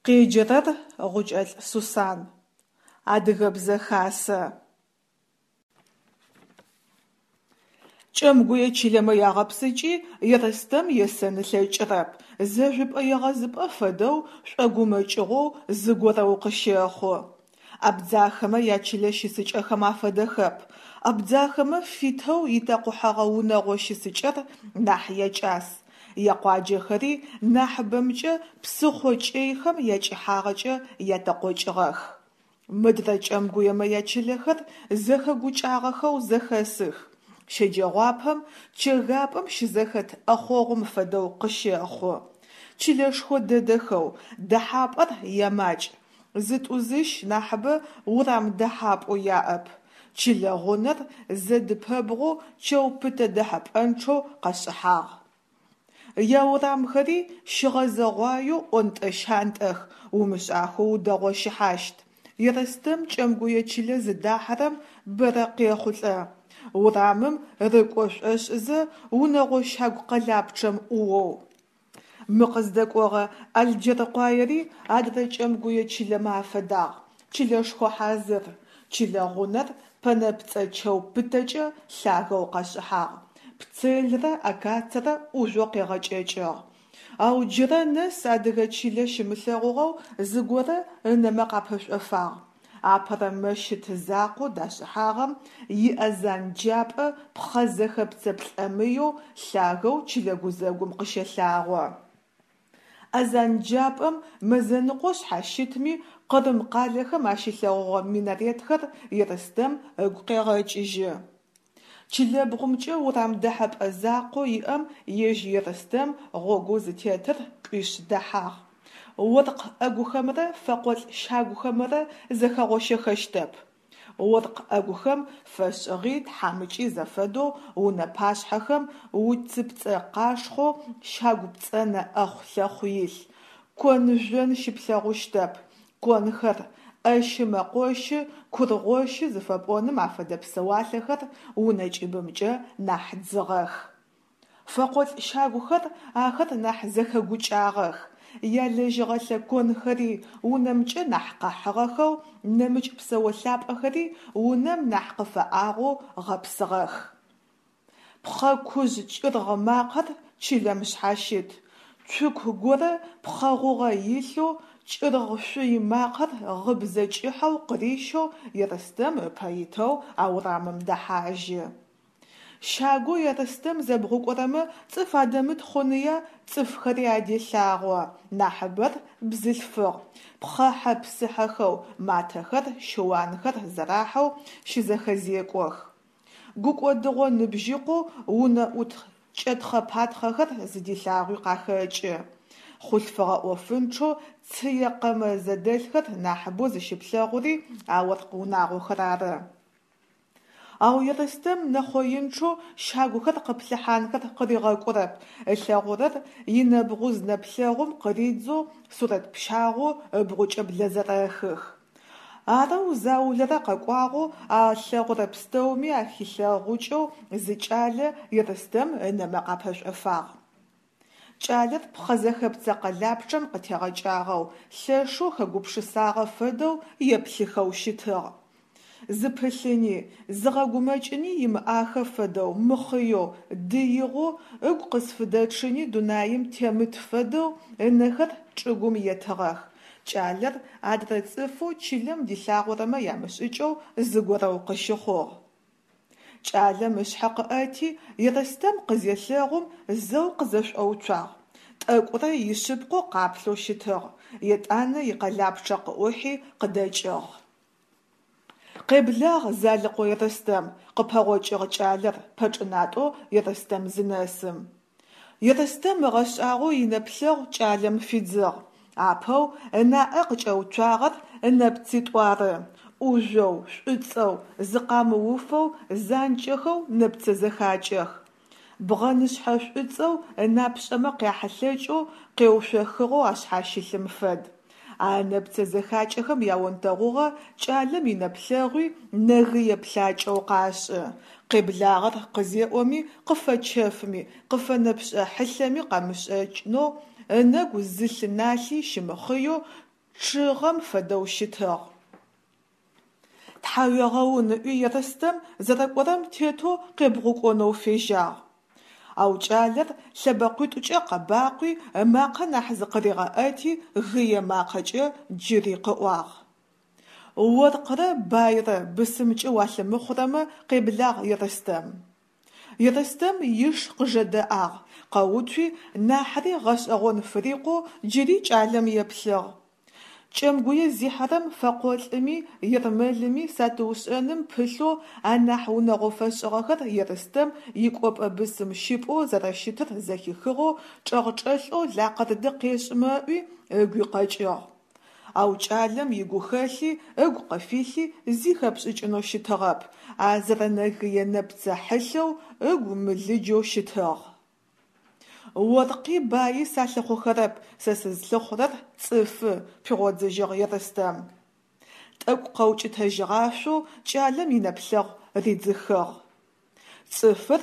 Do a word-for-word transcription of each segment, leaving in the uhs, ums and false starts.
Къеджэрэр Гъукӏэлӏ Сусан. Адыгэбзэ хасэ. Кӏэмгуе чылэмэ ягъэпсыкӏи Ерстэм есэн ылъэкӏырэп, зэжъупӏэ-егъэзыпӏэ фэдэу шӏогумэкӏыгъоу зыгорэу къыщэхъу. Абдзахэмэ ячылэ щысыкӏэхэм афэдэхэп. Абдзахэмэ фитэу итэкъухьэгъэ унэгъо щысыкӏэр нахь якӏас, якъуаджэхэри нахьыбэмкӏэ псыхъо кӏэйхэм якӏыхьагъэкӏэ ятэкъокӏыгъэх. Мыдрэ кӏэмгуемэ ячылэхэр зэхэгукӏагъэхэу зэхэсых, щэджэгъуапэм чэгапӏэм щызэхэт ӏэхъогъум фэдэу къыщэхъу. Чылэшхо дэдэхэу, дэхьапӏэр ямакӏ, зытӏу-зыщ нахьыбэ урам дэхьапӏэу яӏэп. Чылэ гъунэр зэдыпэбгъоу чэу пытэ дэхьэпӏэнчъэу къэшӏыхьагъ. Яурамхэри щыгъэзэгъуаеу ӏонтӏэ-щантӏэх, умышӏахэу удэгъощыхьащт. Ерстэм кӏэмгуе чылэ зыдахьэрэм бэрэ къехъулӏэ. Урамым рыкӏо шӏошӏызэ унэгъо щагу къэлапчъэм ӏуоу. Мы къыздэкӏогъэ Алджэркъуаери адрэ кӏэмгуе чылэмэ афэдагъ, чылэшхо хьазыр. Чылэ гъунэр пэнэпцӏэ чэу пытэкӏэ лъагэу къэшӏыхьагъ, пцелрэ акацэрэ ӏужъоу къегъэкӏэкӏыгъ. Ау джырэ нэс адыгэ чылэ щимылъэгъугъэу зыгорэ ынэмэ къапэшӏофагъ. Апэрэ мэщыт закъоу дашӏыхьагъэм иазан джапӏэ пхъэ зэхэпцэ плӏэмыеу лъагэу чылэ гузэгум къыщэлъагъо. Азанджапӏэм мэзэныкъо шъхьащытми Къырым къалэхэм ащилъэгъугъэ минаретхэр Ерстэм ыгу къегъэкӏыжьы. Чылэбгъумкӏэ урам дэхьэпӏэ закъоу иӏэм ежь Ерстэм гъогоу зытетыр кӏуишъ дэхьагъ. Оркъ ӏэгухэмрэ фэкъолӏ щагухэмрэ зэхэгъощэхэщтэп. Оркъ ӏэгухэм фэшӏыгъи тхьамыкӏи зэфэдэу унэ пашъхьэхэм уцыпцӏэ къашхъоу щагу пцӏэнэ ӏэхъу-лъэхъу илъ, кон-жъон щыплъэгъущтэп, конхэр, ӏэщы-мэкъощы, кургъощы зыфэпӏоным афэдэ псэуалъэхэр унэ кӏыбымкӏэ нахь дзыгъэх. Фэкъолӏ щагухэр ахэр нахь зэхэгукӏагъэх, ялэжьыгъэлъэ конхэри унэмкӏэ нахь къэхьыгъэхэу, нэмыкӏ псэолъапӏэхэри унэм нахь къыфэӏагъэу гъэпсыгъэх. Пхъэ кужъ кӏыргъ макъэр чылэм шъхьащыт, цуку горэ пхъэ гъугъэ илъэу кӏыргъ шъуй макъэр гъыбзэ кӏыхьэу къырищэу Ерстэм ыпэ итэу а урамым дэхьажьы. Щагоу Ерстэм зэбгъукӏорэмэ цӏыф адэмыт хъуныя цӏыфхэри аделъагъо, нахьыбэр бзылъфыгъ, пхъэхьэ-псыхьэхэу, матэхэр, щыуанхэр зэрахьэу щызэхэзекӏох. Гукӏодыгъо ныбжьыкъоу унэӏут кӏэтхъэ-патхъэхэр зыдилъагъуи къахэкӏы. Хъулъфыгъэ ӏофынчъэу цые къэмэ зэдэлъхэр нахьыбэу зыщыплъэгъури а оркъ унагъохэр ары. Ау Ерстэм нэхъоинчъэу щагухэр къыплъыхьанхэр къыригъэкӏурэп, ылъэгъурэр инэбгъуз нэплъэгъум къыридзэу сурэт пщагъоу ыбгъукӏэ блэзэрэхых. Арэу заулэрэ къэкӏуагъэу а ылъэгъурэ пстэуми ахилъэгъукӏэу зы кӏалэ Ерстэм ынэмэ къапэшӏофагъ. Кӏалэр пхъэ зэхэпцэ къэлапчъэм къытегъэкӏагъэу, лъэшэу хэгупшысагъэ фэдэу еплъыхэу щытыгъ. Зыпылъыни, зыгъэгумэкӏыни имыӏахэ фэдэу мыхъыеу, дыигъэу, ыгу къызфыдэчъыни дунаим темыт фэдэу ынэхэр чӏыгум етыгъэх. Кӏалэр адрэ цӏыфэу чылэм дилъагъорэмэ ямышӏыкӏэу зыгорэу къыщыхъугъ. Кӏалэм ышъхьэ къыӏэти, Ерстэм къызелъэгъум зэу къызэшӏоуцуагъ. Тӏэкӏурэ ишъыпкъэу къаплъэу щытыгъ, етӏанэ икъэлапчъэ къыӏухьи къыдэкӏыгъ. Къеблагъ, Залыкъо Ерстэм, къыпэгъокӏыгъ кӏалэр пэчӏынатӏэу Ерстэм зынэсым. Ерстэм ыгъэшӏагъоу инэплъэгъу кӏалэм фидзыгъ. Апэу ынаӏэ къыкӏэуцуагъэр ынэпцитӏу ары. ӏужъоу, шӏуцӏэу, зыкъамыуфэу, занкӏэхэу нэпцэ зэхакӏэх. Бгъэнышъхьэ шӏуцӏэу ынапшӏэмэ къяхьылъэкӏэу къеуцохыгъэу ашъхьащылъым фэд. А ынэпцэ зэхакӏэхэм яонтэгъугъэ кӏалэм инэплъэгъуи нэгые плъакӏэу къашӏы. Къеблагъэр къызеӏоми, къыфэчэфми, къыфэнэпшӏэ хьылъэми къэмышӏэкӏынэу, ынэгу зы лъы налъи щымыхъыеу Чъыгъэм фэдэу щытыгъ. Тхьауегъэун ыӏуи Ерстэм зэрэкӏорэм тетэу къебгъукӏонэу фежьагъ. Ау кӏалэр лъэбэкъуитӏукӏэ къэбакъуи, ымакъэ нахь зыкъыригъэӏэти, гые макъэкӏэ джыри къыӏуагъ: «Оркърэ байрэ бысымкӏэ уалъымыхъурэмэ, къеблагъ, Ерстэм». Ерстэм иш къыжэдэӏагъ, къэуцуи, нахьыри гъэшӏэгъон фырикъоу джыри кӏалэм еплъыгъ. Кӏэмгуе зихьэрэм фэкъолӏыми ермэлыми сатыушӏэным пылъэу анахь унэгъо фэшӏыгъэхэр Ерстэм икӏопӏэ бысым щыпӏэу зэрэщытыр зэхихыгъэу чӏэгъчӏэлъэу лакъырды къешӏымэ ыӏуи ыгуи къэкӏыгъ. Ау кӏалэм игухэлъи ыгу къыфилъи зи хэпшӏыкӏынэу щытыгъэп, а зэрэнэгые нэпцэ хьылъэу ыгу мылыджэу щытыгъ. Оркъи баи салъыхъухэрэп, сэ сызлъыхъурэр цӏыфы, пигъодзыжьыгъ Ерстэм. Тӏэкӏу къэукӏытэжьыгъашъоу кӏалэм инэплъэгъу ридзыхыгъ. Цӏыфыр,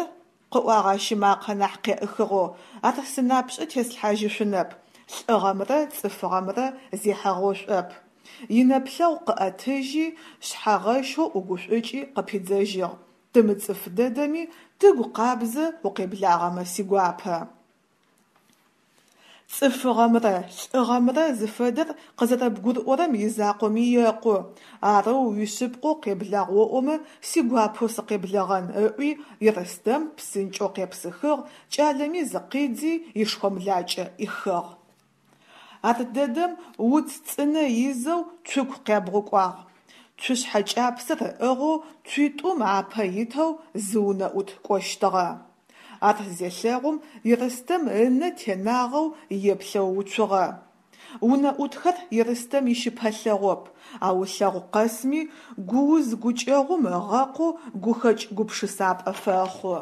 къыӏуагъ ащ ымакъэ нахь къеӏыхыгъэу, ар сынапшӏэ теслъхьажьышъунэп, лӏыгъэмрэ цӏыфыгъэмрэ зехьэгъошӏоп. Инэплъэгъу къыӏэтыжьи, шъхьэгъэщэу ӏугушӏукӏи къыпидзэжьыгъ: Тымыцӏыф дэдэми, тыгу къабзэ укъеблагъэмэ сигуапэ. Цӏыфыгъэмрэ лӏыгъэмрэ зыфэдэр къызэрэбгурыӏорэм изакъоми екъу, арэу уишъыпкъэу къеблагъ оӏомэ, сигуапэу сыкъеблэгъэн, ыӏуи Ерстэм псынкӏэу къепсыхыгъ, кӏалэми зыкъидзи ишхомлакӏэ ӏихыгъ. Ардэдэм уц цӏынэ изэу цуку къябгъукӏуагъ. Цушъхьэ кӏапсэр ыӏыгъэу цуитӏум апэ итэу зы унэӏут кӏощтыгъэ. Ар зелъэгъум Ерстэм ынэ тенагъэу еплъэу уцугъэ. Унэӏутхэр Ерстэм ищыпэлъэгъоп, ау ылъэгъу къэсми гууз-гукӏэгъум ыгъэкъоу гухэкӏ гупшысапӏэ фэхъу.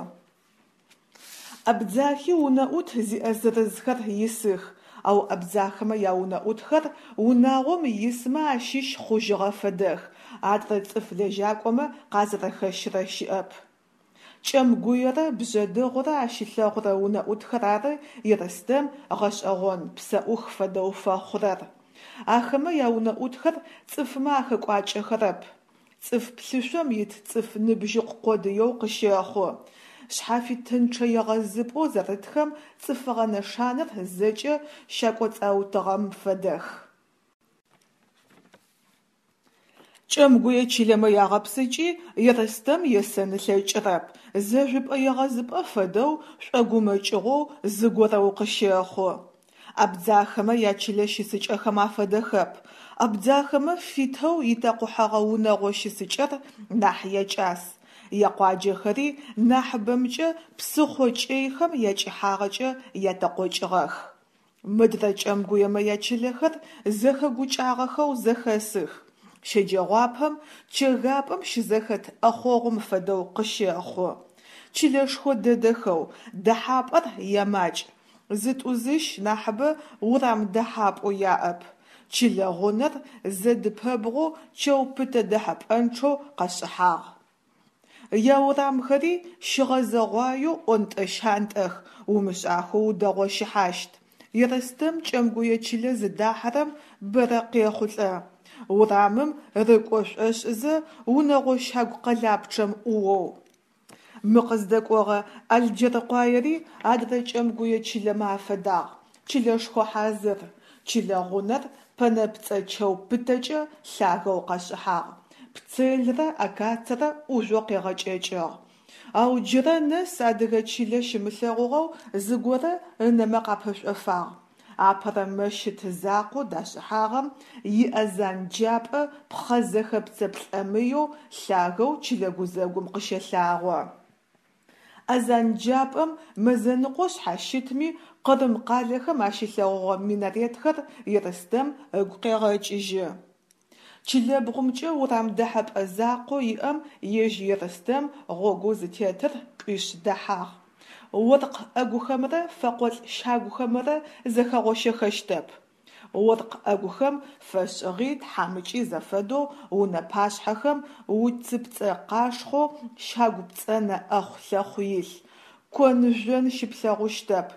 Абдзахи унэӏут зиӏэ зырызхэр исых, ау абдзахэмэ яунэӏутхэр унагъом исмэ ащыщ хъужьыгъэ фэдэх, адрэ цӏыф лэжьакӏомэ къазэрэхэщырэ щыӏэп. Кӏэмгуерэ Бжъэдыгъурэ ащилъэгъурэ унэӏутхэр ары Ерстэм гъэшӏэгъон, псэӏух фэдэу фэхъурэр. Ахэмэ яунэӏутхэр цӏыфмэ ахэкӏуакӏэхэрэп. Цӏыф плъышъом ит цӏыф ныбжьыкъу къодыеу къыщэхъу. Шъхьафитынчъэ егъэзыпӏэу зэрытхэм цӏыфыгъэ нэшанэр зэкӏэ щакӏоцӏаутыгъэм фэдэх. Кӏэмгуе чылэмэ ягъэпсыкӏи Ерстэм есэн ылъэкӏырэп, зэжъупӏэ-егъэзыпӏэ фэдэу шӏогумэкӏыгъоу зыгорэу къыщэхъу. Абдзахэмэ ячылэ щысыкӏэхэм афэдэхэп. Абдзахэмэ фитэу итэкъухьэгъэ унэгъо щысыкӏэр нахь якӏас. Якъуаджэхэри нахьыбэмкӏэ псыхъо кӏэйхэм якӏыхьагъэкӏэ ятэкъокӏыгъэх. Мыдрэ кӏэмгуемэ ячылэхэр зэхэгукӏагъэхэу зэхэсых. Щэджэгъуапэм чэгапӏэм щызэхэт ӏэхъогъум фэдэу къыщэхъу. Чылэшхо дэдэхэу дэхьапӏэр ямакӏ, зытӏу-зыщ нахьыбэ урам дэхьапӏэу яӏэп. Чылэ гъунэр зэдыпэбгъоу чэу пытэ дэхьэпӏэнчъэу къэшӏыхьагъ. Яурамхэри щыгъэзэгъуаеу ӏонтӏэ-щантӏэх, умышӏахэу удэгъощыхьащт. Ерстэм кӏэмгуе чылэ зыдахьэрэм бэрэ къехъулӏэ. Урамым рыкӏо шӏошӏызэ унэгъо щагу къэлапчъэм ӏуоу. Мы къыздэкӏогъэ Алджэркъуаери адрэ кӏэмгуе чылэмэ афэдагъ, чылэшхо хьазыр. Чылэ гъунэр пэнэпцӏэ чэу пытэкӏэ лъагэу къэшӏыхьагъ, пцелрэ акацэрэ ӏужъоу къегъэкӏэкӏыгъ. Ау джырэ нэс адыгэ чылэ щымылъэгъугъэу зыгорэ ынэмэ къапэшӏофагъ. Апэрэ мэщыт закъоу дашӏыхьагъэм иазан джапӏэ пхъэ зэхэпцэ плӏэмыеу лъагэу чылэ гузэгум къыщэлъагъо. Азан джапӏэм мэзэныкъо шъхьащытми Къырым къалэхэм ащилъэгъугъэ минаретхэр Ерстэм ыгу къегъэкӏыжьы. Чылэбгъумкӏэ урам дэхьэпӏэ закъоу иӏэм ежь Ерстэм гъогоу зытетыр кӏуишъ дэхьагъ. Оркъ ӏэгухэмрэ фэкъолӏ щагухэмрэ зэхэгъощэхэщтэп. Оркъ ӏэгухэм фэшӏыгъи тхьамыкӏи зэфэдэу унэ пашъхьэхэм уцыпцӏэ къашхъоу щагу пцӏэнэ ӏэхъу-лъэхъу илъ. Кон-жъон щыплъэгъущтэп.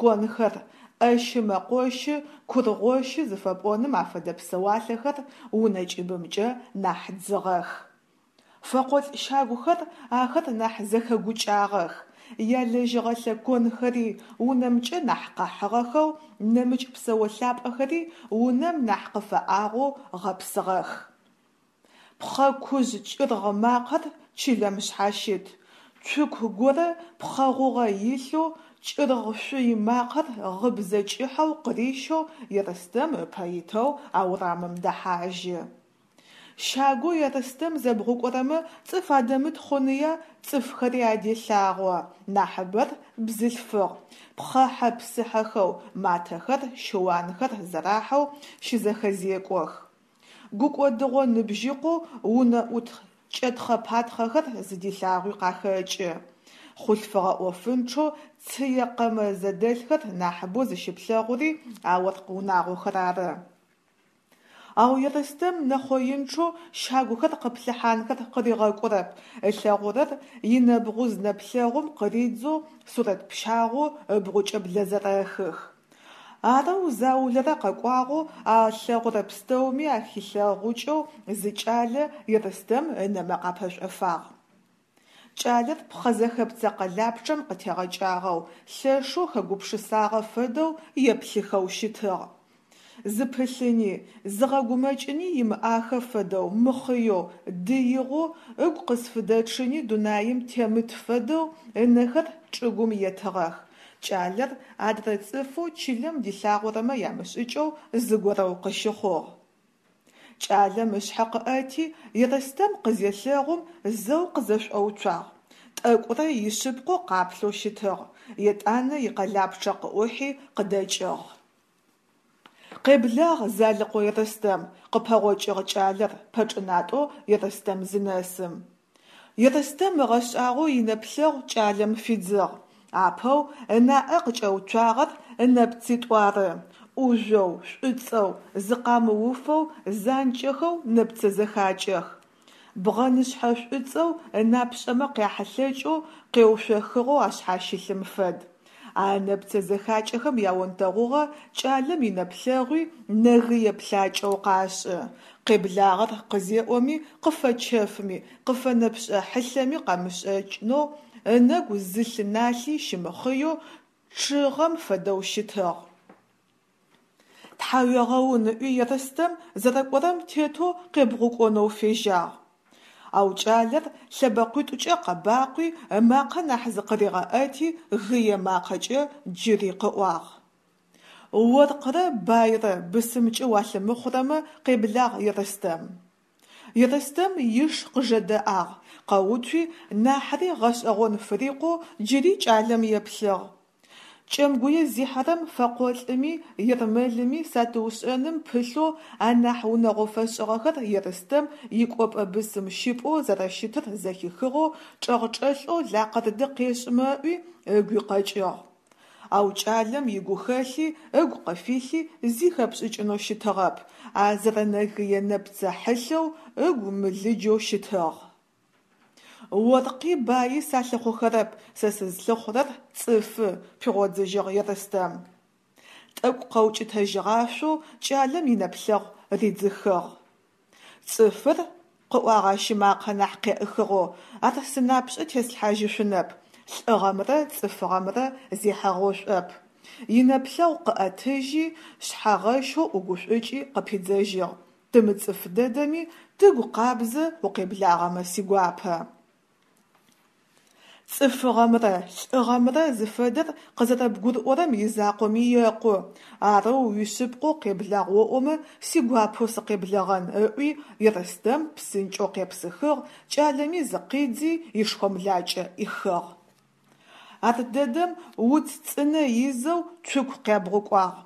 Конхэр, ӏэщы-мэкъощы, кургъощы зыфэпӏоным афэдэ псэуалъэхэр унэ кӏыбымкӏэ нахь дзыгъэх. Фэкъолӏ щагухэр ахэр нахь зэхэгукӏагъэх, ялэжьыгъэлъэ конхэри унэмкӏэ нахь къэхьыгъэхэу, нэмыкӏ псэолъапӏэхэри унэм нахь къыфэӏагъэу гъэпсыгъэх. Пхъэ кужъ кӏыргъ макъэр чылэм шъхьащыт, цуку горэ пхъэ гъугъэ илъэу кӏыргъ шъуй макъэр гъыбзэ кӏыхьэу къырищэу Ерстэм ыпэ итэу а урамым дэхьажьы. Щагоу Ерстэм зэбгъукӏорэмэ цӏыф адэмыт хъуныя цӏыфхэри аделъагъо, нахьыбэр бзылъфыгъ, пхъэхьэ-псыхьэхэу, матэхэр, щыуанхэр зэрахьэу щызэхэзекӏох. Гукӏодыгъо ныбжьыкъоу унэӏут кӏэтхъэ-патхъэхэр зыдилъагъуи къахэкӏы. Хъулъфыгъэ ӏофынчъэу цые къэмэ зэдэлъхэр нахьыбэу зыщыплъэгъури а оркъ унагъохэр ары. Ау Ерстэм нэхъоинчъэу щагухэр къыплъыхьанхэр къыригъэкӏурэп, ылъэгъурэр инэбгъуз нэплъэгъум къыридзэу сурэт пщагъоу ыбгъукӏэ блэзэрэхых. Арэу заулэрэ къэкӏуагъэу а ылъэгъурэ пстэуми ахилъэгъукӏэу зы кӏалэ Ерстэм ынэмэ къапэшӏофагъ. Кӏалэр пхъэзэхэпцэ къэлапчъэм къытегъэкӏагъэу, лъэшэу хэгупшысагъэ фэдэу еплъыхэу щытыгъ. Зыпылъыни, зыгъэгумэкӏыни имыӏахэ фэдэу мыхъыеу, дыигъэу, ыгу къызфыдэчъыни дунаим темыт фэдэу ынэхэр чӏыгум етыгъэх. Кӏалэр адрэ цӏыфэу чылэм дилъагъорэмэ ямышӏыкӏэу зыгорэу къыщыхъугъ. Кӏалэм ышъхьэ къыӏэти, Ерстэм къызелъэгъум зэу къызэшӏоуцуагъ. Тӏэкӏурэ ишъыпкъэу къаплъэу щытыгъ, етӏанэ икъэлапчъэ къыӏухьи къыдэкӏыгъ. Къеблагъ, Залыкъо Ерстэм, къыпэгъокӏыгъ кӏалэр пэчӏынатӏэу Ерстэм зынэсым. Ерстэм ыгъэшӏагъоу инэплъэгъу кӏалэм фидзыгъ. Апэу ынаӏэ къыкӏэуцуагъэр ынэпцитӏу ары: ӏужъоу, шӏуцӏэу, зыкъамыуфэу, занкӏэхэу нэпцэ зэхакӏэх. Бгъэнышъхьэ шӏуцӏэу ынапшӏэмэ къяхьылъэкӏэу къеуцохыгъэу ашъхьащылъым фэд. А ынэпцэ зэхакӏэхэм яонтэгъугъэ кӏалэм инэплъэгъуи нэгые плъакӏэу къашӏы. Къеблагъэр къызеӏоми, къыфэчэфми, къыфэнэпшӏэ хьылъэми къэмышӏэкӏынэу, ынэгу зы лъы налъи щымыхъыеу чъыгъэм фэдэу щытыгъ. Тхьауегъэун ыӏуи Ерстэм зэрэкӏорэм тетэу къебгъукӏонэу фежьагъ. Ау кӏалэр лъэбэкъуитӏукӏэ къэбакъуи, ымакъэ нахь зыкъыригъэӏэти, гые макъэкӏэ джыри къыӏуагъ. Оркърэ байрэ бысымкӏэ уалъымыхъурэмэ, къеблагъ Ерстэм. Ерстэм иш къыжэдэӏагъ, къэуцуи, нахьри гъэшӏэгъон фырикъоу джыри кӏалэм еплъыгъ. Кӏэмгуе зихьэрэм фэкъолӏыми ермэлыми сатыушӏэным пылъэу анахь унэгъо фэшӏыгъэхэр Ерстэм икӏопӏэ бысым щыпӏэу зэрэщытыр зэхихыгъэу чӏэгъчӏэлъэу лакъырды къешӏымэ ыӏуи ыгуи къэкӏыгъ. Ау кӏалэм игухэлъи ыгу къыфилъи зи хэпшӏыкӏынэу щытыгъэп, а зэрэнэгые нэпцэ хьылъэу ыгу мылыджэу щытыгъ. Оркъи баи салъыхъухэрэп, сэ сызлъыхъурэр цӏыфы, пигъодзыжьыгъ Ерстэм. Тӏэкӏу къэукӏытэжьыгъашъоу кӏалэм инэплъэгъу ридзыхыгъ. Цӏыфыр, къыӏуагъ ащ ымакъэ нахь къеӏыхыгъэу, ар сынапшӏэ теслъхьажьышъунэп, лӏыгъэмрэ цӏыфыгъэмрэ зехьэгъошӏоп. Инэплъэгъу къыӏэтыжьи, шъхьэгъэщэу ӏугушӏукӏи къыпидзэжьыгъ: Тымыцӏыф дэдэми, тыгу къабзэ укъеблагъэмэ сигуапэ. Цӏыфыгъэмрэ лӏыгъэмрэ зыфэдэр къызэрэбгурыӏорэм изакъоми екъу, арэу уишъыпкъэу къеблагъ оӏомэ, сигуапэу сыкъеблэгъэн, ыӏуи Ерстэм псынкӏэу къепсыхыгъ, кӏалэми зыкъидзи ишхомлакӏэ ӏихыгъ. Ардэдэм уц цӏынэ изэу цуку къябгъукӏуагъ.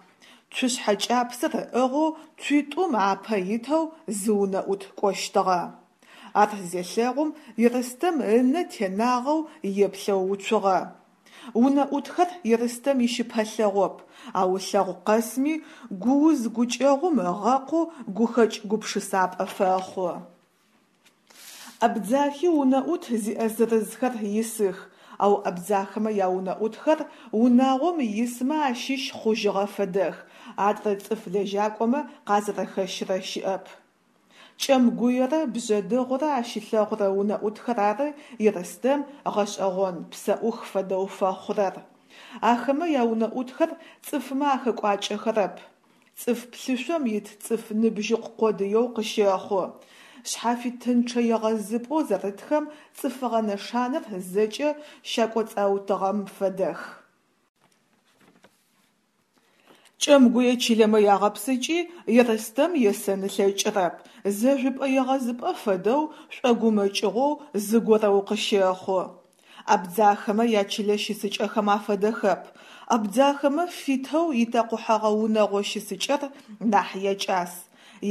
Цушъхьэ кӏапсэр ыӏыгъэу цуитӏум апэ итэу зы унэӏут кӏощтыгъэ. Ар зелъэгъум Ерстэм ынэ тенагъэу еплъэу уцугъэ. Унэӏутхэр Ерстэм ищыпэлъэгъоп, ау ылъэгъу къэсми гууз-гукӏэгъум ыгъэкъоу гухэкӏ гупшысапӏэ фэхъу. Абдзахи унэӏут зиӏэ зырызхэр исых, Ау абдзахэмэ яунэӏутхэр унагъом исмэ ащыщ хъужьыгъэ фэдэх, адрэ цӏыф лэжьакӏомэ къазэрэхэщырэ щыӏэп. Кӏэмгуерэ Бжъэдыгъурэ ащилъэгъурэ унэӏутхэр ары Ерстэм гъэшӏэгъон, псэӏух фэдэу фэхъурэр. Ахэмэ яунэӏутхэр цӏыфмэ ахэкӏуакӏэхэрэп. Цӏыф плъышъом ит цӏыф ныбжьыкъу къодыеу къыщэхъу. Шъхьафитынчъэ егъэзыпӏэу зэрытхэм цӏыфыгъэ нэшанэр зэкӏэ щакӏоцӏаутыгъэм фэдэх. Кӏэмгуе чылэмэ ягъэпсыкӏи Ерстэм есэн ылъэкӏырэп, зэжъупӏэ-егъэзыпӏэ фэдэу шӏогумэкӏыгъоу зыгорэу къыщэхъу. Абдзахэмэ ячылэ щысыкӏэхэм афэдэхэп. Абдзахэмэ фитэу итэкъухьэгъэ унэгъо щысыкӏэр нахь якӏас,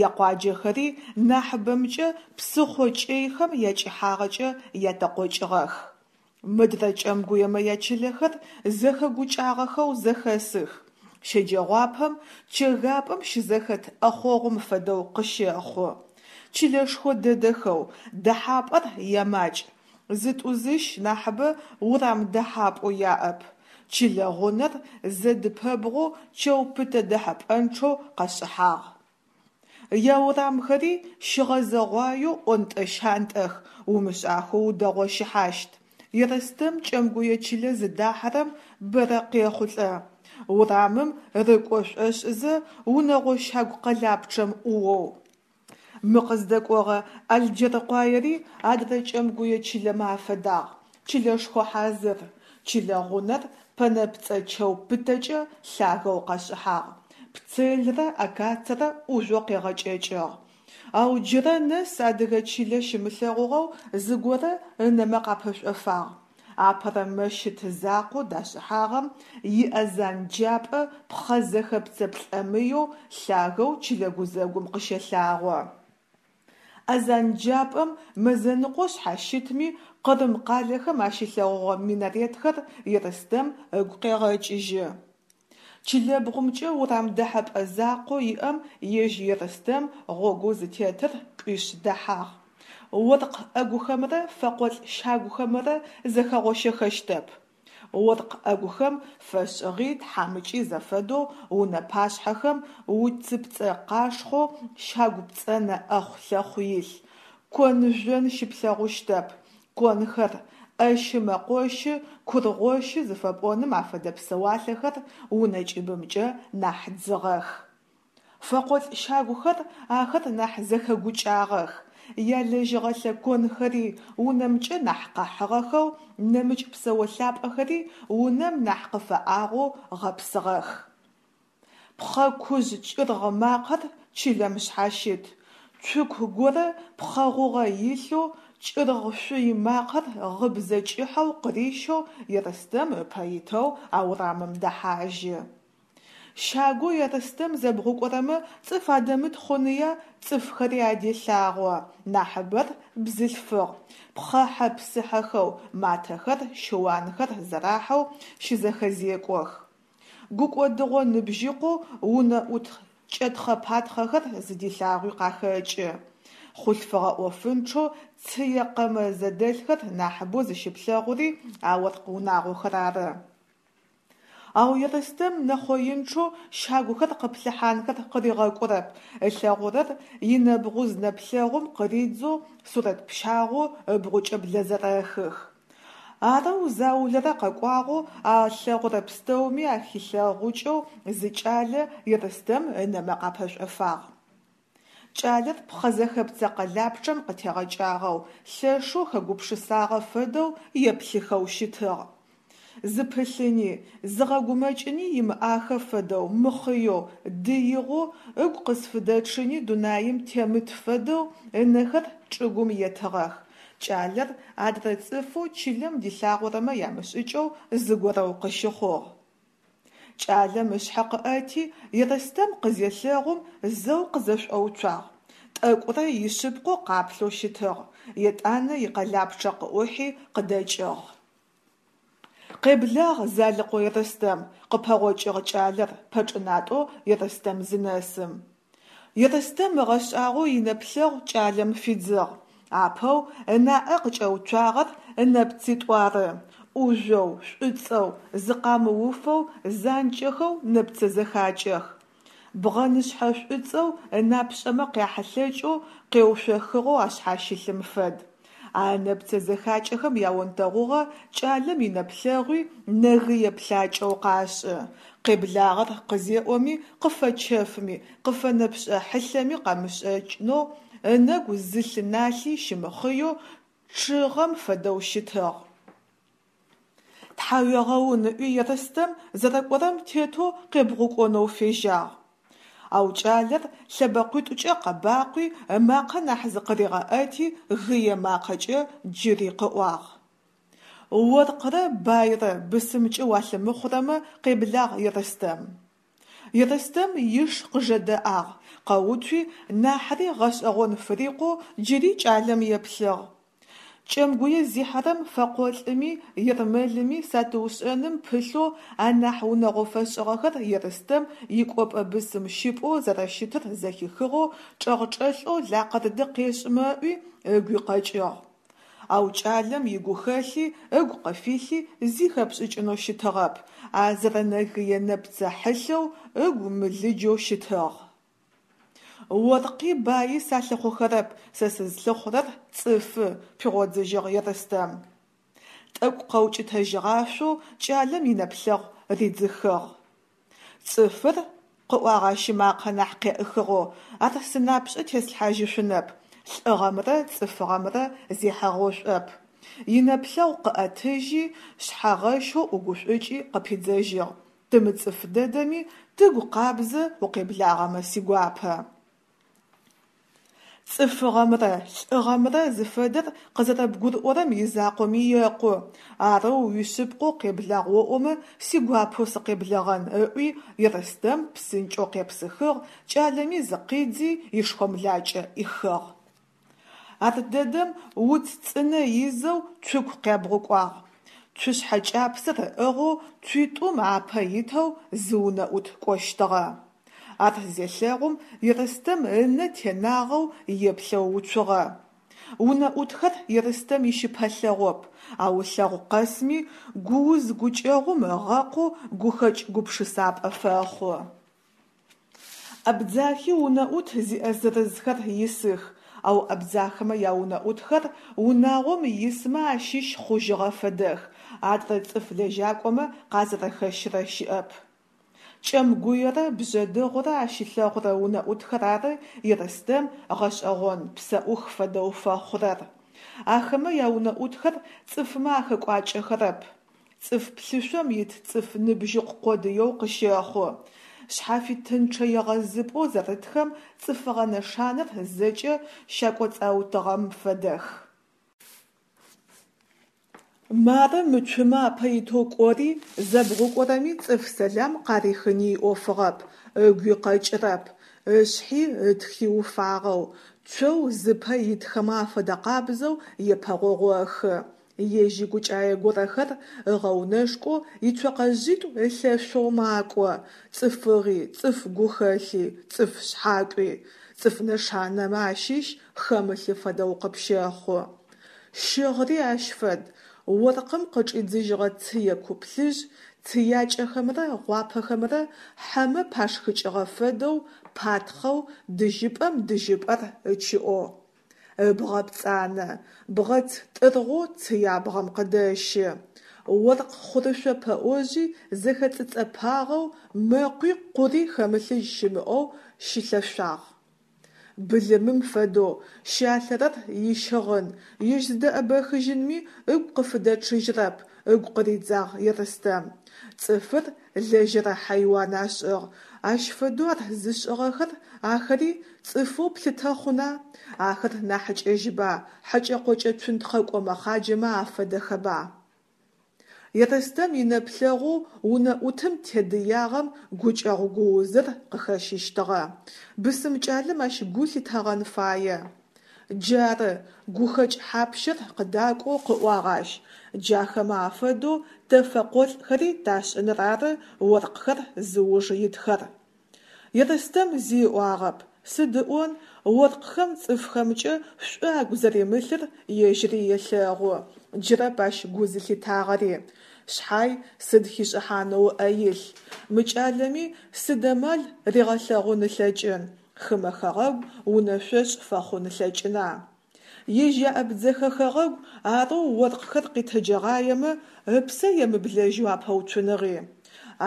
якъуаджэхэри нахьыбэмкӏэ псыхъо кӏэйхэм якӏыхьагъэкӏэ ятэкъокӏыгъэх. Мыдрэ кӏэмгуемэ ячылэхэр зэхэгукӏагъэхэу зэхэсых, щэджэгъуапэм чэгапӏэм щызэхэт ӏэхъогъум фэдэу къыщэхъу. Чылэшхо дэдэхэу, дэхьапӏэр ямакӏ, зытӏу-зыщ нахьыбэ урам дэхьапӏэу яӏэп. Чылэ гъунэр зэдыпэбгъоу чэу пытэ дэхьэпӏэнчъэу къэшӏыхьагъ. Яурамхэри щыгъэзэгъуаеу ӏонтӏэ-щантӏэх, умышӏахэу удэгъощыхьащт. Ерстэм кӏэмгуе чылэ зыдахьэрэм бэрэ къехъулӏэ. Урамым рыкӏо шӏошӏызэ унэгъо щагу къэлапчъэм ӏуоу. Мы къыздэкӏогъэ Алджэркъуаери адрэ кӏэмгуе чылэмэ афэдагъ, чылэшхо хьазыр. Чылэ гъунэр пэнэпцӏэ чэу пытэкӏэ лъагэу къэшӏыхьагъ, пцелрэ акацэрэ ӏужъоу къегъэкӏэкӏыгъ. Ау джырэ нэс адыгэ чылэ щимылъэгъугъэу зыгорэ ынэмэ къапэшӏофагъ. Апэрэ мэщыт закъоу дашӏыхьагъэм иазан джапӏэ пхъэ зэхэпцэ плӏэмыеу лъагэу чылэ гузэгум къыщэлъагъо. Азанджапӏэм мэзэныкъо шъхьащытми Къырым къалэхэм ащилъэгъугъэ минаретхэр Ерстэм ыгу къегъэкӏыжьы. Чылэбгъумкӏэ урам дэхьэпӏэ закъоу иӏэм ежь Ерстэм гъогоу зытетыр кӏуишъ дэхьагъ. Оркъ ӏэгухэмрэ фэкъолӏ щагухэмрэ зэхэгъощэхэщтэп. Оркъ ӏэгухэм фэшӏыгъи тхьамыкӏи зэфэдэу унэ пашъхьэхэм уцыпцӏэ къашхъоу щагу пцӏэнэ ӏэхъу-лъэхъу илъ, кон-жъон щыплъэгъущтэп, конхэр, ӏэщы-мэкъощы, кургъощы зыфэпӏоным афэдэ псэуалъэхэр унэ кӏыбымкӏэ нахь дзыгъэх. Фэкъолӏ щагухэр ахэр нахь зэхэгукӏагъэх, ялэжьыгъэлъэ конхэри унэмкӏэ нахь къэхьыгъэхэу, нэмыкӏ псэолъапӏэхэри унэм нахь къыфэӏагъэу гъэпсыгъэх. Пхъэ кужъ кӏыргъ макъэр чылэм шъхьащыт, цуку горэ пхъэ гъугъэ илъэу кӏыргъ-шъуй макъэр гъыбзэ кӏыхьэу къырищэу Ерстэм ыпэ итэу а урамым дэхьажьы. Щагоу Ерстэм зэбгъукӏорэмэ цӏыф адэмыт хъуныя цӏыфхэри аделъагъо, нахьыбэр бзылъфыгъ, пхъэхьэ-псыхьэхэу, матэхэр, щыуанхэр зэрахьэу щызэхэзекӏох. Гукӏодыгъо ныбжьыкъоу унэӏут кӏэтхъэ-патхъэхэр зыдилъагъуи къахэкӏы. Хъулъфыгъэ ӏофынчъэу цые къэмэ зэдэлъхэр нахьыбэу зыщыплъэгъури а оркъ унагъохэр ары. Ау Ерстэм нэхъоинчъэу щагухэр къыплъыхьанхэр къыригъэкӏурэп, ылъэгъурэр инэбгъуз нэплъэгъум къыридзэу сурэт пщагъоу ыбгъукӏэ блэзэрэхых. Арэу заулэрэ къэкӏуагъэу а ылъэгъурэ пстэуми ахилъэгъукӏэу зы кӏалэ Ерстэм ынэмэ къапэшӏофагъ. Кӏалэр пхъэ зэхэпцэ къэлапчъэм къытегъэкӏагъэу, лъэшэу хэгупшысагъэ фэдэу еплъыхэу щытыгъ. Зыпылъыни, зыгъэгумэкӏыни имыӏахэ фэдэу мыхъыеу, дыигъэу, ыгу къызфыдэчъыни дунаим темыт фэдэу ынэхэр чӏыгум етыгъэх. Кӏалэр адрэ цӏыфэу чылэм дилъагъорэмэ ямышӏыкӏэу зыгорэу къыщыхъугъ. Кӏалэм ышъхьэ къыӏэти, Ерстэм къызелъэгъум зэу къызэшӏоуцуагъ. Тӏэкӏурэ ишъыпкъэу къаплъэу щытыгъ, етӏанэ икъэлапчъэ къыӏухьи къыдэкӏыгъ. Къеблагъ, Залыкъо Ерстэм, къыпэгъокӏыгъ кӏалэр пэчӏынатӏэу Ерстэм зынэсым. Ерстэм ыгъэшӏагъоу инэплъэгъу кӏалэм фидзыгъ. Апэу ынаӏэ къыкӏэуцуагъэр ынэпцитӏу ары. ӏужъоу, шӏуцӏэу, зыкъамыуфэу, занкӏэхэу нэпцэ зэхакӏэх. Бгъэнышъхьэ шӏуцӏэу ынапшӏэмэ къяхьылъэкӏэу, къеуцохыгъэу ашъхьащылъым фэд. А ынэпцэ зэхакӏэхэм яонтэгъугъэ кӏалэм инэплъэгъуи нэгые плъакӏэу къашӏы. Къеблагъэр къызеӏоми, къыфэчэфми, къыфэнэпшӏэ хьылъэми къэмышӏэжьынэу, ынэгу зы лъы налъи щымыхъыеу, чъыгъэм фэдэу щытыгъ. Тхьауегъэун ыӏуи Ерстэм зэрэкӏорэм тетэу къебгъукӏонэу фежьагъ. Ау кӏалэр лъэбэкъуитӏукӏэ къэбакъуи, ымакъэ нахь зыкъыригъэӏэти, гые макъэкӏэ джыри къыӏуагъ. Оркърэ байрэ бысымкӏэ уалъымыхъурэмэ, къеблагъ, Ерстэм. Ерстэм иш къыжэдэӏагъ, къэуцуи, нахьыри гъэшӏэгъон фырикъоу джыри кӏалэм еплъыгъ. Кӏэмгуе зихьэрэм фэкъолӏыми ермэлыми сатыушӏэным пылъэу анахь унэгъо фэшӏыгъэхэр Ерстэм икӏопӏэ бысым щыпӏэу зэрэщытыр зэхихыгъэу чӏэгъчӏэлъэу лакъырды къешӏымэ ыӏуи ыгуи къэкӏыгъ. Ау кӏалэм игухэлъи ыгу къыфилъи зи хэпшӏыкӏынэу щытыгъэп, а зэрэнэгые нэпцэ хьылъэу, ыгу мылыджэу щытыгъ. Оркъи баи салъыхъухэрэп, сэ сызлъыхъурэр цӏыфы, пигъодзыжьыгъ Ерстэм. Тӏэкӏу къэукӏытэжьыгъашъоу кӏалэм инэплъэгъу ридзыхыгъ. Цӏыфыр, къыӏуагъ ащ ымакъэ нахь къеӏыхыгъэу, ар сынапшӏэ теслъхьажьышъунэп, лӏыгъэмрэ цӏыфыгъэмрэ зехьэгъошӏоп. Инэплъэгъу къыӏэтыжьи, шъхьэгъэщэу ӏугушӏукӏи къыпидзэжьыгъ: Тымыцӏыф дэдэми, тыгу къабзэ укъеблагъэмэ сигуапэ. Цӏыфыгъэмрэ лӏыгъэмрэ зыфэдэр къызэрэбгурыӏорэм изакъоми екъу, арэу уишъыпкъэу къеблагъ оӏомэ, сигуапэу сыкъеблэгъэн, ыӏуи Ерстэм псынкӏэу къепсыхыгъ, кӏалэми зыкъидзи ишхомлакӏэ ӏихыгъ. Ардэдэм уц цӏынэ изэу цуку къябгъукӏуагъ. Цушъхьэ кӏапсэр ыӏыгъэу цуитӏум апэ итэу зы унэӏут кӏощтыгъэ. Ар зелъэгъум Ерстэм ынэ тенагъэу еплъэу уцугъэ. Унэӏутхэр Ерстэм ищыпэлъэгъоп, ау ылъэгъу къэсми гууз-гукӏэгъум ыгъэкъоу гухэкӏ гупшысапӏэ фэхъу. Абдзахи унэӏут зиӏэ зырызхэр исых, ау абдзахэмэ яунэӏутхэр унагъом исмэ ащыщ хъужьыгъэ фэдэх, адрэ цӏыф лэжьакӏомэ къазэрэхэщырэ щыӏэп. Кӏэмгуерэ Бжъэдыгъурэ ащилъэгъурэ унэӏутхэр ары Ерстэм гъэшӏэгъон псэӏух фэдэу фэхъурэр. Ахэмэ яунэӏутхэр цӏыфмэ ахэкӏуакӏэхэрэп. Цӏыф плъышъом ит цӏыф ныбжьыкъу къодыеу къыщэхъу. Шъхьафитынчъэ егъэзыпӏэу зэрытхэм цӏыфыгъэ нэшанэр зэкӏэ щакӏоцӏаутыгъэм фэдэх. Мары мы цумэ апэ итэу кӏори, зэбгъукӏорэми цӏыф сэлам къарихыни иӏофыгъэп, ыгуи къэкӏырэп, ышъхьи ытхи уфагъэу, цоу зыпэ итхэмэ афэдэкъабзэу епэгъогъохы. Ежь игукӏае горэхэр ыгъэунэшкӏоу ицокъэжъитӏу ылъэшъоу макӏо, цӏыфыгъи, цӏыф гухэлъи, цӏыф шъхьакӏуи, цӏыф нэшанэмэ ащыщ хэмылъы фэдэу къыпщэхъу. Щыгъри ащ фэд: оркъым къычӏидзыжьыгъэ цые куплъыжь, цыякӏэхэмрэ гъуапэхэмрэ хьэмэ пашхыкӏыгъэ фэдэу патхъэу дыжьыпӏэм дыжьыпӏэр ычыӏоу. Ыбгъэ пцӏанэ, бгъэц тӏыргъоу цыябгъэм къыдэщы. Оркъ хъурышъо пэӏожъи зэхэцӏыцӏэпагъэу, мэкъуи къури хэмылъыжь щымыӏэу щилъэшъуагъ. Былымым фэдэу щалъэрэр ищыгъын, ежь зыдэӏэбэхыжьынми ыгу къыфыдэчъыжьырэп, ыгу къыридзагъ Ерстэм. Цӏыфыр лэжьэрэ хьайуан ашӏыгъ, ащ фэдэу ар зышӏыгъэхэр ахэри цӏыфэу плъытэ хъуна, ахэр нахьыкӏэжьыба, хьэкӏэ-къокӏэ цунтхъэкӏо мэхъаджэмэ афэдэхэба? Ерстэм инэплъэгъоу унэӏутым тедыягъэм гукӏэгъу гуузыр къыхэщыщтыгъэ. Бысым кӏалэм ащ гу лъитэгъэн фае. Джары, гухэкӏ хьапщэр къыдакӏоу къыӏуагъ ащ, джахэмэ афэдэу тэ фэкъолӏхэри ташӏыныр ары оркъхэр зыуж итхэр. Ерстэм зи ыӏуагъэп, Сыд ыӏон, оркъхэм цӏыфхэмкӏэ шӏу агу зэримылъыр ежьыри елъэгъу, джырэп ащ гу зылъитагъэри. Шъхьай сыд хишӏыхьанэу ыӏэ илъ. Мы кӏалэми сыд амал ригъэлъэгъун ылъэкӏын, хымэ хэгъэгу унэшъошӏ фэхъун ылъэкӏына? Ежь яабдзэхэ хэгъэгу арэу оркъхэр къитэджэгъаемэ, ыпсэ емыблэжьэу апэуцуныгъи.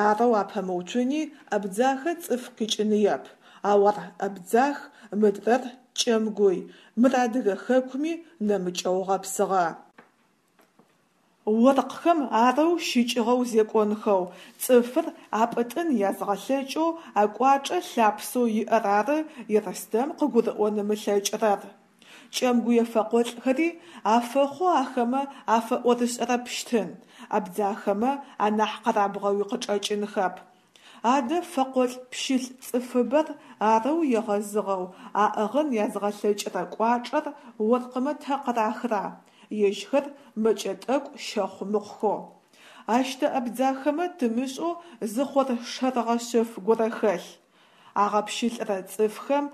Арэу апэмыуцуни Абдзахэ цӏыф къикӏыныеп, ау ар абдзах, мыдрэр кӏэмгуй, мыр адыгэ хэкуми нэмыкӏэу гъэпсыгъэ. Оркъхэм арэу щыкӏыгъэу зекӏонхэу, цӏыфыр апӏытӏын язгъэлъэкӏэу акӏуачӏэ лъапсэу иӏэр ары Ерстэм къыгурыӏон ымылъэкӏырэр. Кӏэмгуе фэкъолӏхэри афэхъоу ахэмэ афэӏорышӏэрэпщтын, абдзахэмэ анахь къэрабгъэуи къычӏэкӏынхэп. Адэ фэкъолӏ-пщылӏ цӏыфыбэр арэу егъэзыгъэу аӏыгъын язгъэлъэкӏырэ кӏуачӏэр оркъмэ тэ къырахра, ежьхэр мэкӏэ тӏэкӏу щэхъу мыхъухэу. Ащ тэ абдзахэмэ тымышӏэу зы хъоршэрыгъэ шъэф горэ хэлъ. Агъэпщылӏырэ цӏыфхэм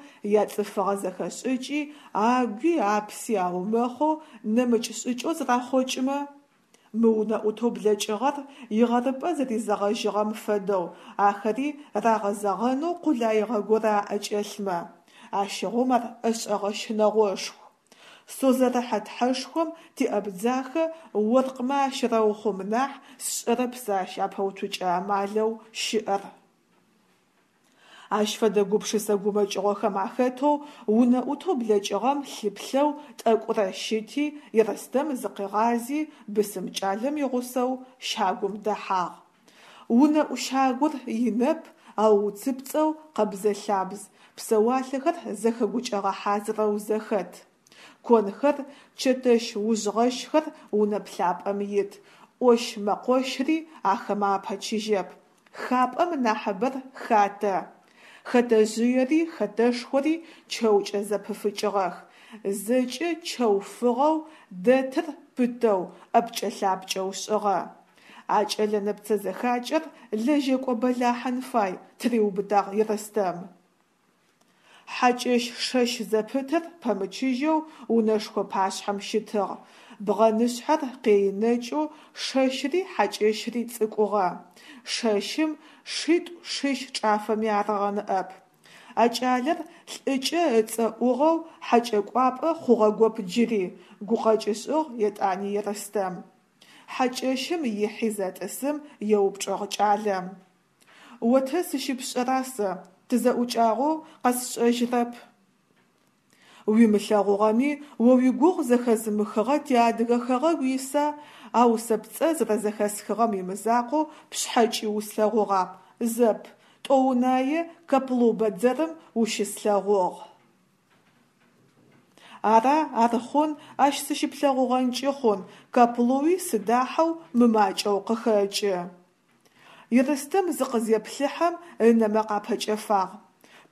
яцӏыфыгъэ зэхэшӏыкӏи, агуи апси аумэхъэу нэмыкӏ шӏыкӏэу зэрахъокӏымэ? Мы унэӏутэу блэкӏыгъэр игъэрыпӏэ зэризэгъэжьыгъэм фэдэу ахэри рагъэзэгъэнэу къулаигъэ горэ аӏэкӏэлъмэ? Ащыгъум ар ӏэшӏэгъэ щынэгъошху. Созэрыхьэ тхьэшхом тиабдзахэ оркъмэ ащерэухъум нахь, сшӏэрэп сэ ащ апэуцукӏэ амалэу щыӏэр. Ащ фэдэ гупшысэ гумэкӏыгъохэм ахэтэу унэӏутэу блэкӏыгъэм лъыплъэу тӏэкӏурэ щыти, Ерстэм зыкъигъази бысым кӏалэм игъусэу щагум дэхьагъ. Унэӏу щагур инэп, ау уцыпцӏэу къэбзэ-лъабз, псэуалъэхэр зэхэгукӏэгъэ хьазырэу зэхэт. Конхэр, чэтэщ ужъгъэщхэр унэ плъапӏэм ит, ӏощ-мэкъощри ахэмэ апэчыжьэп. Хапӏэм нахьыбэр хатэ. Хэтэжъыери хэтэшхори чэукӏэ зэпыфыкӏыгъэх, зэкӏэ чэу фыгъэу, дэтыр пытэу, ӏэпкӏэ-лъапкӏэу шӏыгъэ. А кӏэлэ нэпцэ зэхакӏэр лэжьэкӏо бэлахьын фай, тыриубытагъ Ерстэм. Хьакӏэщ шэщ зэпытыр пэмычыжьэу унэшхо пашъхьэм щытыгъ. Бгъэнышъхьэр къеинэкӏэу шэщри хьакӏэщри цӏыкӏугъэ. Шэщым шитӏу-шищ чӏафэми арыгъэ ныӏэп. А кӏалэр лӏыкӏэ ыцӏэ ӏугъэу хьакӏэкӏуапӏэ хъугъэгоп джыри, гукъэкӏ ышӏыгъ етӏани Ерстэм. Хьакӏэщым ихьи зэтӏысым еупчӏыгъ кӏалэм: «О тэ сыщыпшӏэра сэ, тызэӏукӏагъэу къэсшӏэжьырэп?» Уимылъэгъугъэми, о уигугъу зэхэзымыхыгъэ тиадыгэ хэгъэгу иса, ау сэ пцӏэ зэрэзэхэсхыгъэм имызакъоу пшъхьэкӏи услъэгъугъап, зэп, тӏоунае Каплу бэдзэрым ущыслъэгъугъ. Ара, ар хъун, ащ сыщыплъэгъугъэнкӏи хъун, Каплуи сыдахьэу мымакӏэу къыхэкӏы. Ерстэм зыкъызеплъыхьэм ынэмэ къапэкӏэфагъ.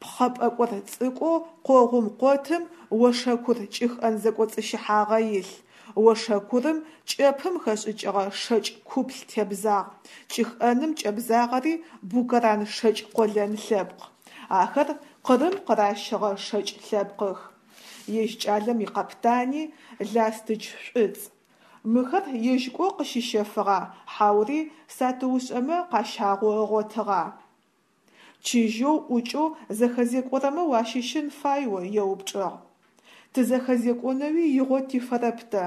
Пхъэ пӏэкӏор цӏыкӏоу къогъум къотым ошэкур кӏыхӏэн зэкӏоцӏыщыхьагъэ илъ. Ошэкурым кӏэпым хэшӏыкӏыгъэ шэкӏ куплъ тебзагъ, кӏыхӏэным кӏэбзагъэри букэран шэкӏ къолэн лъэпкъ. Ахэр Къырым къыращыгъэ шэкӏ лъэпкъых. Ежь кӏалэм икъэптани ластыч шӏуцӏ. Мыхэр ежь кӏо къыщищэфыгъа, хьаури сатыушӏэмэ къащагъэу ыгъотыгъа? Чыжьэу ӏукӏэу зэхэзекӏорэмэ уащыщын фай о, еупчӏыгъ. Тызэхэзекӏонэуи игъо тифэрэп тэ.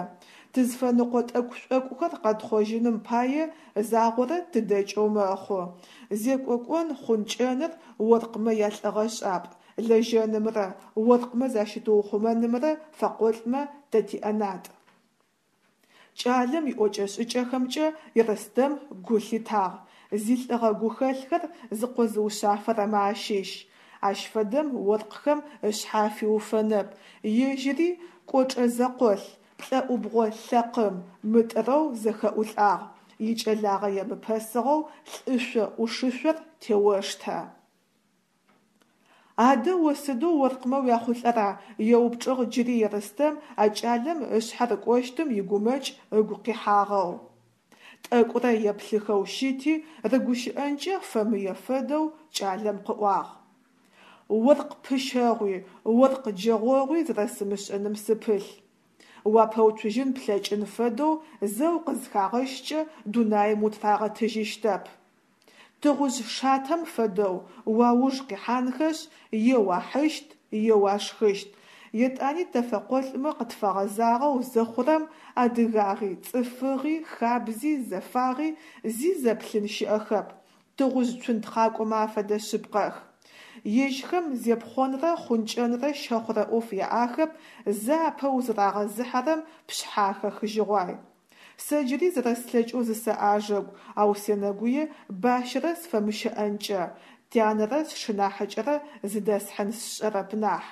Тызфэныкъо тӏэкӏу-шӏокӏухэр къэтхъожьыным пае загъорэ тыдэкӏэу мэхъу. Зекӏо кӏон-хъункӏэныр оркъмэ ялӏыгъэшӏапӏ, лэжьэнымрэ оркъмэ защытыухъумэнымрэ фэкъолӏмэ тэ тиӏэнатӏ. Кӏалэм иӏокӏэ-шӏыкӏэхэмкӏэ Ерстэм гу лъитагъ: зилӏыгъэ гухэлъхэр зыкъозыушъафэрэмэ ащыщ. Ащ фэдэм оркъхэм ышъхьэ афиуфэнэп, ежьыри кӏочӏэ зэкъолъ, плӏэӏубгъо лъэкъым, мытӏырэу зэхэӏулӏагъ, икӏэлагъэ емыпэсыгъэу лӏышъо ӏушышъор теоштэ. Адэ о сыдэу оркъмэ уяхъулӏэра? Еупчӏыгъ джыри Ерстэм а кӏалэм ышъхьэ рыкӏощтым игумэкӏ ыгу къихьагъэу. Тӏэкӏурэ еплъыхэу щыти, рыгущыӏэнкӏэ фэмые фэдэу кӏалэм къыӏуагъ: Оркъ пыщэгъуи, оркъ джэгъогъуи зэрэсымышӏыным сыпылъ. Уапэуцужьын плъэкӏын фэдэу зэ укъызхагъэщкӏэ дунаим утырагъэтыжьыщтэп. Тыгъужъ шатэм фэдэу уауж къихьанхэшъ, е уахьыщт, е уашхыщт. Етӏани тэ фэкъолӏмэ къытфэгъэзагъэу зыхъурэм, адыгагъи, цӏыфыгъи, хабзи, зэфагъи зи зэплъын щыӏэхэп, тыгъужъ цунтхъакӏомэ афэдэ шъыпкъэх. Ежьхэм зепхъонрэ хъункӏэнрэ щэхъурэ ӏоф яӏахэп, зэ апэ узырагъэзыхьэрэм пшъхьэ ахэхыжьыгъуай. Сэ джыри зэрэслъэкӏэу зысэӏажэгу, ау сенэгуе бащэрэ сфэмыщэӏэнкӏэ, тянэрэ сшынахьыкӏэрэ зыдэсхьын сшӏэрэп нахь.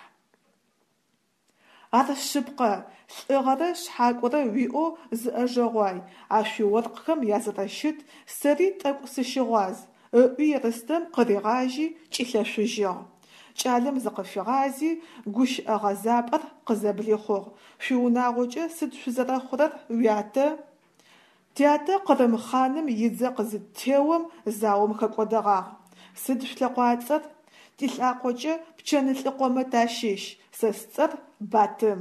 Ар шъыпкъэ, лӏыгъэрэ шъхьакӏорэ уиӏэу зыӏэжэгъуай, а шъуиоркъхэм язэрэщыт сэри тӏэкӏу сыщыгъуаз, ыӏуи Ерстэм къыригъажьи, кӏилъэшъужьыгъ. Кӏалэм зыкъыфигъази, гущыӏэ гъэзапӏэр къызэблихъугъ: «Шъуиунагъокӏэ сыд шъузэрэхъурэр, уятэ?» «Тятэ Къырым хъаным идзэ къызыттеом, заом хэкӏодэгъагъ. Сыд шъулъэкъуацӏэр?» «Тилӏакъокӏэ Пчэнлӏыкъомэ тащыщ, сэ сцӏэр Батым.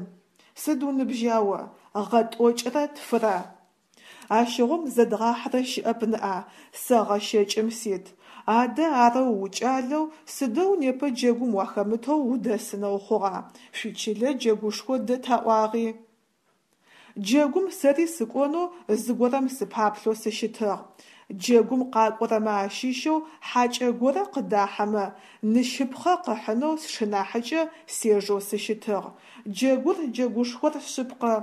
Сыд уныбжьа о?» «Гъэ тӏокӏырэ тфырэ». «Ащыгъум зэдгъахьырэ щыӏэп ныӏа, сэ гъэ щэкӏым сит. Адэ арэу укӏалэу сыдэу непэ джэгум уахэмытэу удэсынэу хъугъа, шъуичылэ джэгушхо дэт аӏуагъи?» Джэгум сэри сыкӏонэу зыгорэм сыпаплъэу сыщытыгъ. Джэгум къакӏорэмэ ащыщэу хьакӏэ горэ къыдахьэмэ, ныщыпхъэ къыхьынэу сшынахьыкӏэ сежэу сыщытыгъ. Джэгур джэгушхор шъыпкъэ,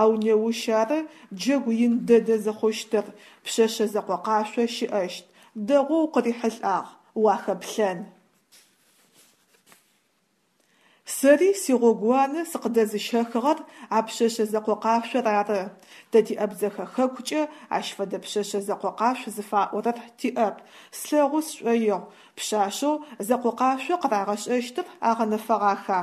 ау неущ ары джэгу ин дэдэ зыхъущтыр, пшъэшъэ зэкъокъашъо щыӏэщт. Дэгъоу укъырихьылӏагъ, уахэплъэн. Сэри сигъогууанэ сыкъыдэзыщэхыгъэр а пшъэшъэ зэкъокъашъор ары. Тэ ти Абдзэхэ хэкукӏэ ащ фэдэ пшъэшъэ зэкъокъашъу зыфаӏорэр тиӏэп, слъэгъу сшӏоигъу. Пшъашъэу зэкъокъашъо къырагъэшӏэщтыр агъэнэфэгъаха?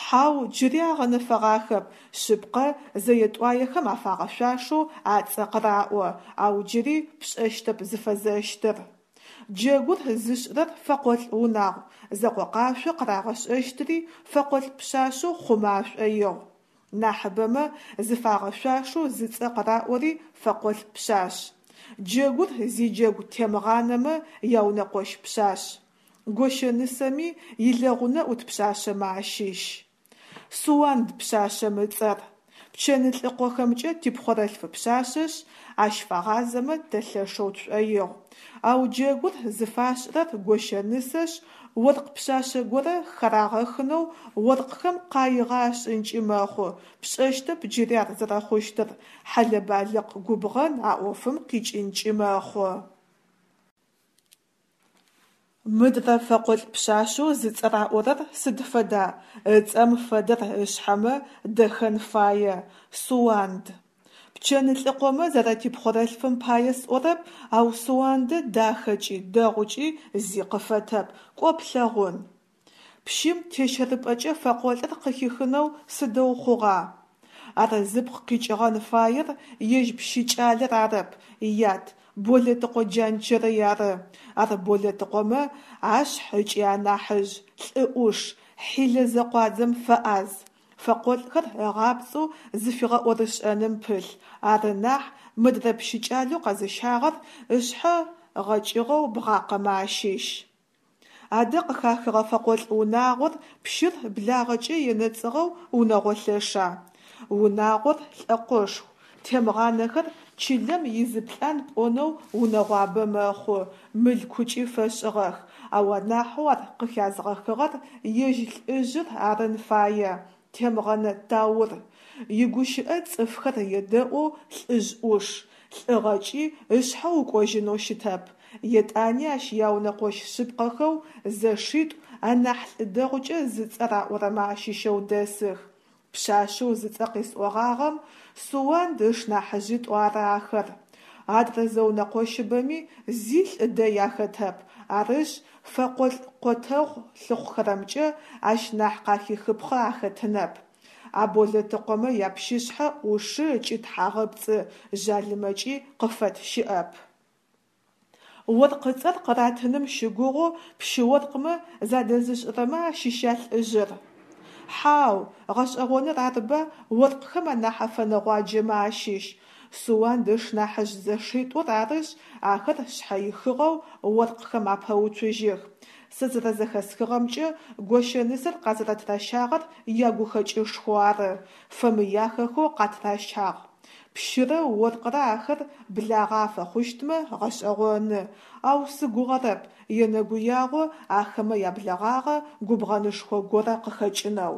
Хьау, джыри агъэнэфэгъахэп. Шъыпкъэ, зэе-тӏуаехэм афагъэшъуашэу ацӏэ къыраӏо, ау джыри пшӏэщтэп зыфэзэщтыр. Джэгур зышӏырэр фэкъолӏ унагъу, зэкъокъашъо къырагъэшӏэщтыри фэкъолӏ пшъашъэу хъумэ ашӏоигъу. Нахьыбэмэ зыфагъэшъуашэу зыцӏэ къыраӏори фэкъолӏ пшъашъ. Джэгур зиджэгу Темгъанэмэ яунэкъощ пшъашъ. Гощэнысэми илэгъунэ ӏут пшъашъэмэ ащыщ. Суанд пшъашъэм ыцӏэр. Пчэнлӏыкъохэмкӏэ типхъорэлъф пшъашъэшъ, ащ фагъазэмэ тэ лъэшэу тшӏоигъу. Ау джэгур зыфашӏырэр гощэнысэшъ, оркъ пшъашъэ горэ харагъэхынэу оркъхэм къаигъэ ашӏынкӏи мэхъу, пшӏэщтэп джыри ар зэрэхъущтыр, хьэлэ-балыкъ губгъэн а ӏофым къикӏынкӏи мэхъу. Мыдрэ фэкъолӏ пшъашъэу зыцӏэ раӏорэр сыд фэда? Ыцӏэм фэдэр ышъхьэмэ, дэхэн фае. Суанд. Пчэнлӏыкъомэ зэрэтипхъорэлъфым пае сӏорэп, ау Суандэ дахэкӏи, дэгъукӏи зи къыфэтэп, кӏо плъэгъун. Пщым тещэрыпӏэкӏэ фэкъолӏыр къыхихынэу сыдэу хъугъа? Ар зыпкъ къикӏыгъэн фаер ежь пщы кӏалэр арэп, ят, Болэтыкъо Джанчэрый ары. Ар Болэтыкъомэ ашъхь ыкӏи анахьыжъ, лӏы ӏуш, хьилэ зэкъуадзэм фэӏаз, фэкъолӏхэр ыгъапцӏэу зыфигъэӏорышӏэным пылъ, ары нахь, мыдрэ пщы кӏалэу къэзыщагъэр ышъхьэ гъэкӏыгъэу бгъакъэмэ ащыщ. Адэ къыхахыгъэ фэкъолӏ унагъор пщыр благъэкӏэ енэцӏыгъэу унэгъо лъэша? Унагъор лӏэкъошху, Темгъанэхэр чылэм изыплӏан пӏонэу унэгъуабэ мэхъу, мылъкукӏи фэшӏыгъэх, ау анахьэу ар къыхязгъэхыгъэр ежь лӏыжъыр арын фае, Темгъэнэ Таур. Игущыӏэ цӏыфхэр едэӏоу лӏыжъ ӏуш, лӏыгъэкӏи ышъхьэ укӏожьынэу щытэп. Етӏани ащ яунэкъощ шъыпкъэхэу зэшитӏу анахь лӏы дэгъукӏэ зыцӏэ раӏорэмэ ащыщэу дэсых. Пшъашъэу зыцӏэ къесӏогъагъэм, Суанд ышнахьыжъитӏу ары ахэр. Адрэ зэунэкъощыбэми зи лӏы дэй ахэтэп, арышъ, фэкъолӏ къотэгъу лъыхъухэрэмкӏэ ащ нахь къахихыпхъэ ахэтынэп. А Болэтыкъомэ япщышъхьэ ӏушы ыкӏи тхьагъэпцӏы, жъалымэкӏи къыфэт щыӏэп. Оркъыцӏэр къыратыным щыгугъэу пщы-оркъмэ задэзышӏырэмэ ащыща лӏыжъыр? Хьау, гъэшӏэгъоныр арба, оркъхэм анахь афэнэгъуаджэмэ ащыщ. Суанд ышнахьыжъ зэшитӏур арышъ, ахэр шъхьэихыгъэу оркъхэм апэуцужьых. Сэ зэрэзэхэсхыгъэмкӏэ, гощэнысэр къазэрэтыращагъэр ягухэкӏышхоу ары, фэмыяхэхэу къатыращагъ. Пщырэ оркърэ ахэр благъэ афэхъущтмэ гъэшӏэгъоны, ау сыгугъэрэп, енэгуягъо ахэмэ яблэгъагъэ губгъэнышхо горэ къыхэкӏынэу.